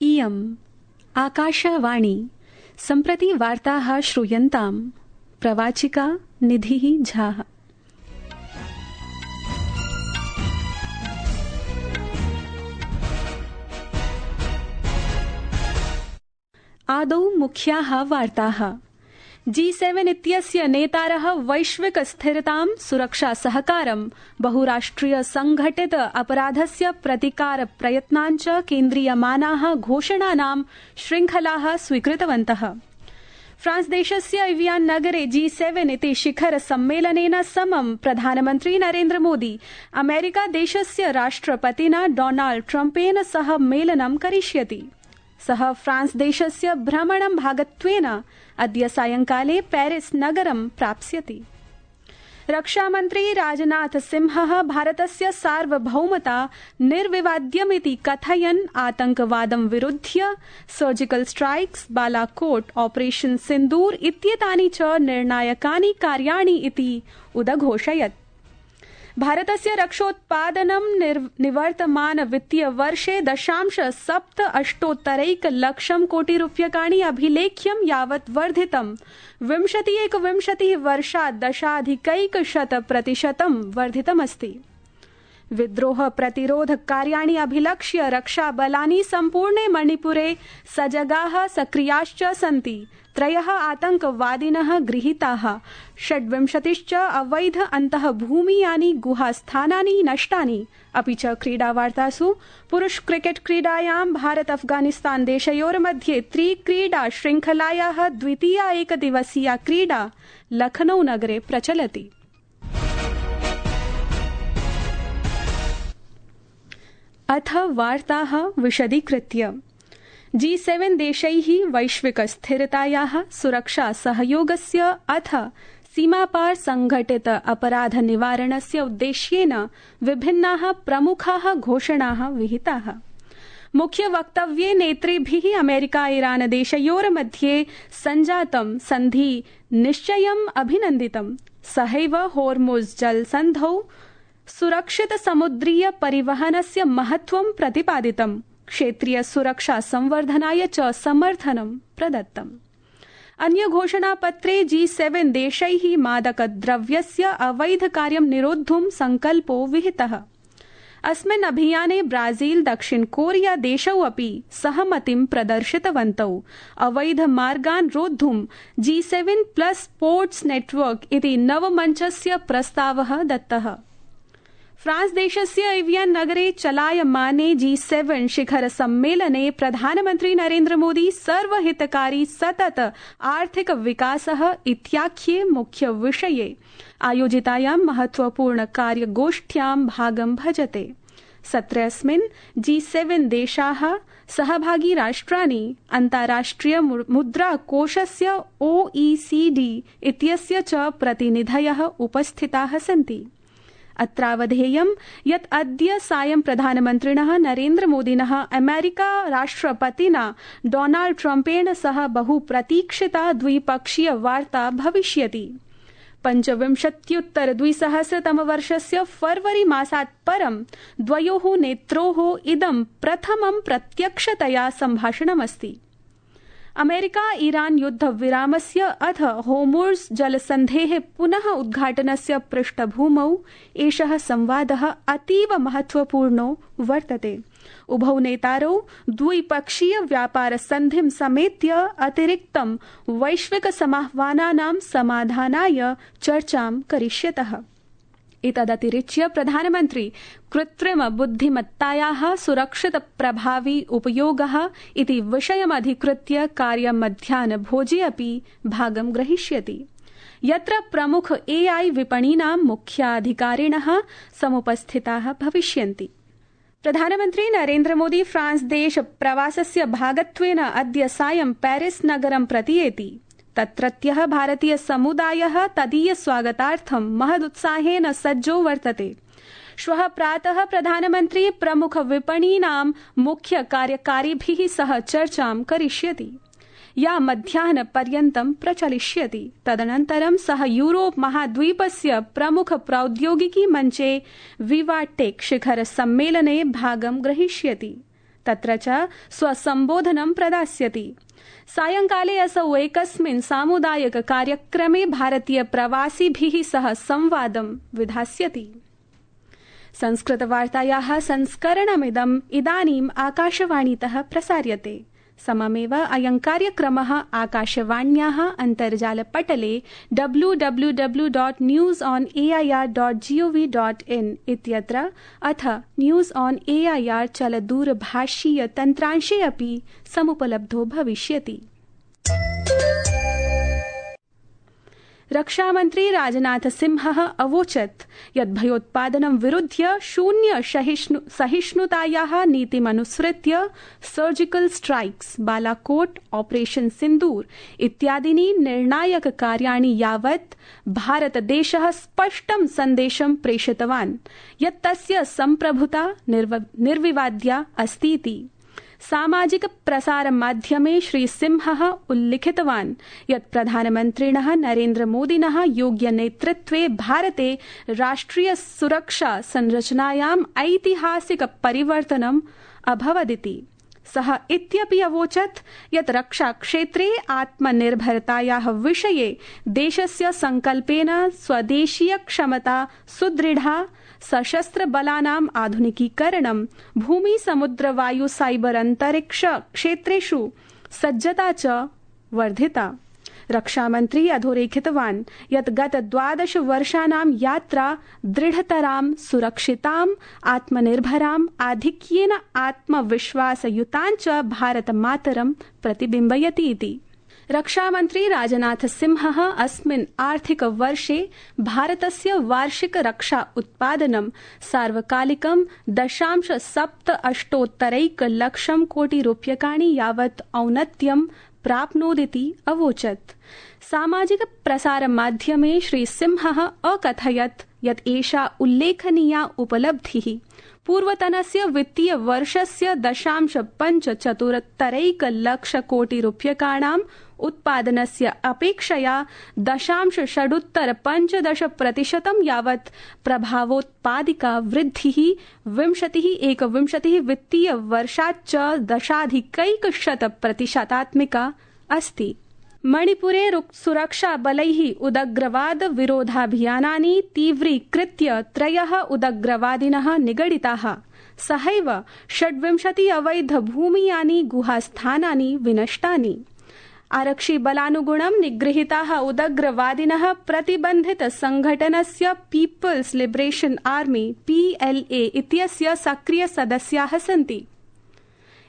इयम् आकाशवाणी सम्प्रति वार्ताः श्रूयन्ताम् प्रवाचिका निधिः झा। आदौ मुख्याः वार्ताः। G7 इत्यस्य नेतारः वैश्विक स्थिरतां सुरक्षा सहकारं बहुराष्ट्रिय संघटित अपराधस्य प्रतिकार प्रयत्नान् च केन्द्रीयमानाः घोषणानां श्रृङ्खलाः स्वीकृतवन्तः। फ्रांस देशस्य एवियान् नगरे G7 इति शिखर सम्मेलनेन समं प्रधानमन्त्री नरेन्द्र मोदी अमेरिका देशस्य राष्ट्रपतिना डोनाल्ड ट्रम्पेन सह मेलनं करिष्यति। सः फ्रांस देशस्य भ्रमणं भागत्वेन अद्य सायंकाले पेरिस नगरं प्राप्स्यति। रक्षामन्त्री राजनाथ सिंहः भारतस्य सार्वभौमता निर्विवाद्यमिति कथयन् आतंकवादं विरुध्य सर्जिकल स्ट्राइक्स, बालाकोट, ऑपरेशन सिन्दूर इत्येतानि च निर्णायकानि कार्याणि इति उदघोषयत्। भारतस्य रक्षोत्पादनं निवर्तमान वित्तीय वर्षे 0.78 लक्षं कोटिरूप्यकाणि अभिलेख्यं यावत् वर्धितम् 20-21 वर्षात् 10.1% वर्धितमस्ति। विद्रोह प्रतिरोध कार्याणि अभिलक्ष्य रक्षाबलानि सम्पूर्णे मणिपुरे सजगाः सक्रियाश्च सन्ति। 3 आतंकवादिनः गृहीताः, 26 अवैध अन्तःभूमीयानि गुहास्थानानि नष्टानि। अपि च क्रीडावार्तासु पुरुष क्रिकेट क्रीडायां भारत अफगानिस्तान देशयोर्मध्ये त्रिक्रीडा श्रृङ्खलायाः द्वितीया एकदिवसीया क्रीडा लखनऊ नगरे प्रचलति। अथ वार्ताः विशदीकृत्य। G7 देशैः वैश्विक स्थिरतायाः सुरक्षा सहयोगस्य अथ सीमापार संघटित अपराध निवारणस्य उद्देश्येन विभिन्नाः प्रमुखाः घोषणाः विहिताः। मुख्य वक्तव्ये नेतृभिः अमेरिका ईरान देशयोर्मध्ये सञ्जातं सन्धि निश्चयम् अभिनन्दितम्। सहैव होर्मुज़ जलसन्धौ सुरक्षित समुद्रीय परिवहनस्य महत्त्वं प्रतिपादितम्। क्षेत्रीय सुरक्षा संवर्धनाय च समर्थनं प्रदत्तम्। अन्य घोषणापत्रे G7 देशैः मादकद्रव्यस्य अवैध कार्यं निरोद्धुं संकल्पो विहितः। अस्मिन् अभियाने ब्राजील, दक्षिण कोरिया देशौ अपि सहमतिं प्रदर्शितवन्तौ। अवैध मार्गान् रोद्धुं G7+ स्पोर्ट्स नेटवर्क इति नवमञ्चस्य प्रस्तावः दत्तः। फ्रांस देशस्य एवियान् नगरे चलायमाने G7 शिखर सम्मेलने प्रधानमन्त्री नरेन्द्र मोदी सर्वहितकारी सतत आर्थिक विकासः इत्याख्ये मुख्य विषये आयोजितायां महत्वपूर्ण कार्यगोष्ठ्यां भागं भजते। सत्रेऽस्मिन् G7 देशाः सहभागी राष्ट्राणि अन्ताराष्ट्रिय मुद्राकोषस्य OECD इत्यस्य च प्रतिनिधयः उपस्थिताः सन्ति। अत्रावधेयं यत् अद्य सायं प्रधानमन्त्रिणः नरेन्द्र मोदिनः अमेरिका राष्ट्रपतिना डोनाल्ड ट्रम्पेण सह बहुप्रतीक्षिता द्विपक्षीय वार्ता भविष्यति। 25-2000 फरवरी मासात् परं द्वयोः नेत्रोः इदं प्रथमं प्रत्यक्षतया सम्भाषणमस्ति। अमेरिका ईरान युद्धविरामस्य अथ होर्मुज़ जलसन्धेः पुनः उद्घाटनस्य पृष्ठभूमौ एषः संवादः अतीव महत्वपूर्णो वर्तते। उभौ नेतारौ द्विपक्षीय व्यापार सन्धिं समेत्य अतिरिक्तं वैश्विक समाह्वानानां समाधानाय चर्चां करिष्यतः। एतदतिरिच्य प्रधानमन्त्री कृत्रिम बुद्धिमत्तायाः सुरक्षित प्रभावी उपयोगः इति विषयमधिकृत्य कार्यमध्याह्नभोजे अपि भागं ग्रहीष्यति, यत्र प्रमुख AI विपणीनां मुख्याधिकारिणः समुपस्थिताः भविष्यन्ति। प्रधानमन्त्री नरेन्द्र मोदी फ्रांस देश प्रवासस्य भागत्वेन अद्य सायं पेरिस नगरं प्रतियेति। तत्रत्यः भारतीय समुदायः तदीय स्वागतार्थं महदुत्साहेन सज्जो वर्तते। श्वः प्रातः प्रधानमन्त्री प्रमुख विपणीनां मुख्य कार्यकारिभिः सह चर्चां करिष्यति, या मध्याह्नपर्यन्तं प्रचलिष्यति। तदनन्तरं सः यूरोप महाद्वीपस्य प्रमुख प्रौद्योगिकी मञ्चे विवाटेक शिखर सम्मेलने भागं ग्रहीष्यति। तत्र च स्वसम्बोधनं प्रदास्यति। सायंकाले असौ एकस्मिन् सामुदायिक कार्यक्रमे भारतीय प्रवासिभिः सह संवादं विधास्यति। संस्कृतवार्तायाः संस्करणमिदम् इदानीम् आकाशवाणीतः प्रसार्यते। सममेव अयं कार्यक्रमः आकाशवाण्याः अन्तर्जालपटले www.newsonair.gov.in इत्यत्र अथ न्यूज़ ऑन एआईआर चलदूरभाषीय तन्त्रांशे अपि समुपलब्धो भविष्यति। रक्षामन्त्री राजनाथ सिंहः अवोचत् यत् भयोत्पादनं विरुध्य शून्य सहिष्णुतायाः नीतिमनुसृत्य सर्जिकल स्ट्राइक्स, बालाकोट, ऑपरेशन सिन्दूर इत्यादीनि निर्णायक कार्याणि यावत् भारतदेशः स्पष्टं सन्देशं प्रेषितवान् यत् तस्य सम्प्रभुता निर्विवाद्या अस्तीति। सामाजिक प्रसार माध्यमे श्री सिंहः उल्लिखितवान् यत् प्रधानमन्त्रिणः नरेन्द्र मोदिनः योग्य नेतृत्वे भारते राष्ट्रिय सुरक्षा संरचनायाम् ऐतिहासिक परिवर्तनम् अभवदिति। सः इत्यपि अवोचत् यत् रक्षाक्षेत्रे आत्मनिर्भरतायाः विषये देशस्य सङ्कल्पेन स्वदेशीय क्षमता सुदृढा, सशस्त्र बलानाम् आधुनिकीकरणं, भूमि समुद्र वायु साइबर अंतरिक्ष क्षेत्रेषु सज्जता च वर्धिता। रक्षामन्त्री अधोरेखितवान् यत् गत 12 वर्षाणां यात्रा दृढतरां, सुरक्षितां, आत्मनिर्भरां, आधिक्येन आत्मविश्वासयुतां च भारतमातरं प्रतिबिम्बयति इति। रक्षामन्त्री राजनाथ सिंहः अस्मिन् आर्थिक वर्षे भारतस्य वार्षिक रक्षा उत्पादनं सार्वकालिकं 0.78 लक्षं कोटि रूप्यकाणि यावत् औन्नत्यं प्राप्नोदिति अवोचत्। सामाजिक प्रसार माध्यमे श्री सिंहः अकथयत् यत् एषा उल्लेखनीया उपलब्धिः पूर्वतनस्य वित्तीय वर्षस्य 0.75 लक्ष कोटि रूप्यकाणां उत्पादनस्य अपेक्षया 0.615% यावत् प्रभावोत्पादिका वृद्धिः 2021 वित्तीय वर्षाच्च 10.1% अस्ति। मणिपुरे सुरक्षा बलैः उदग्रवाद विरोधाभियानानि तीव्रीकृत्य 3 उदग्रवादिनः निगडिताः। सहैव 26 अवैध भूमियानि गुहास्थानानि विनष्टानि। आरक्षि बलानुगुणं निगृहीताः उदग्रवादिनः प्रतिबन्धित संघटनस्य पीपल्स लिबरेशन आर्मी PLA इत्यस्य सक्रिय सदस्याः सन्ति,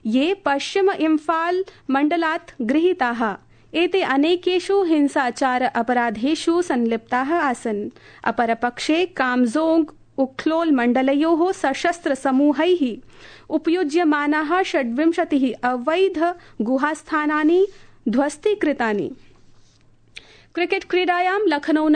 ये पश्चिम इम्फाल मण्डलात् गृहीताः। एते अनेकेषु हिंसाचार अपराधेषु संलिप्ताः आसन्। अपरपक्षे कामजोंग उख्लोल मण्डलयोः सशस्त्र समूहैः उपयुज्यमानाः 26 अवैध गुहास्थानानि ध्वस्तीकृतानि। क्रिकेट क्रीडायां लखनऊ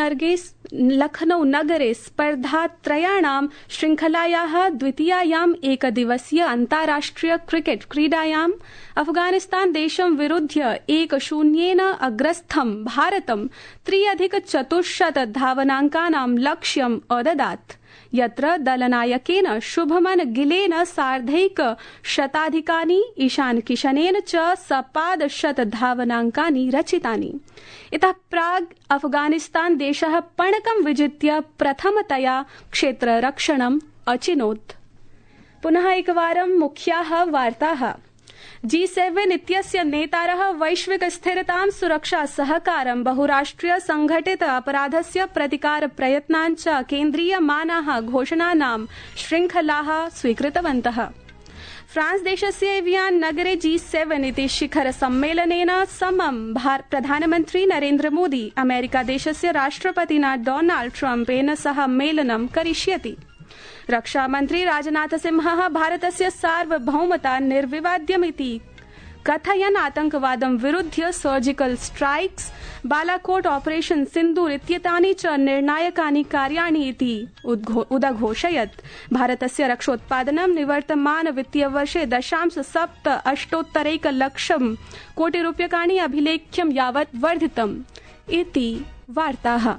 नगरे स्पर्धात्रयाणां श्रृंखलायाः द्वितीयायाम् एकदिवसीय अन्ताराष्ट्रिय क्रिकेट क्रीडायां अफगानिस्तान देशं विरुध्य 1-0 अग्रस्थं भारतं 3+400 धावनाङ्कानां लक्ष्यम् अददात्, यत्र दलनायकेन शुभमन गिलेन 150 ईशान किशनेन च 100 धावनाङ्कानि रचितानि। इतः प्राग् अफगानिस्तान देशः पणकं विजित्य प्रथमतया क्षेत्ररक्षणम् अचिनोत्। पुनः एकवारं मुख्याः वार्ताः। G7 इत्यस्य नेतारः वैश्विक स्थिरतां, सुरक्षा सहकारं, बहुराष्ट्रिय संघटित अपराधस्य प्रतिकार प्रयत्नाञ्च केन्द्रीयमानाः घोषणानां श्रृंखलाः स्वीकृतवन्तः। फ्रांस देशस्य एवियान नगरे G7 इति शिखर सम्मेलनेन समं प्रधानमन्त्री नरेन्द्र मोदी अमेरिका देशस्य राष्ट्रपतिना डोनाल्ड ट्रम्पेन सह मेलनं करिष्यति। रक्षामन्त्री राजनाथ सिंहः भारतस्य सार्वभौमता निर्विवाद्यमिति कथयन् आतंकवादं विरुध्य सर्जिकल स्ट्राइक्स, बालाकोट, ऑपरेशन सिन्दूर इत्येतानि च निर्णायकानि कार्याणि इति उदघोषयत्। भारतस्य रक्षोत्पादनं निवर्तमान वित्तीयवर्षे 0.78 लक्षं कोटि रूप्यकाणि अभिलेख्यं यावत् वर्धितम् इति वार्ताः।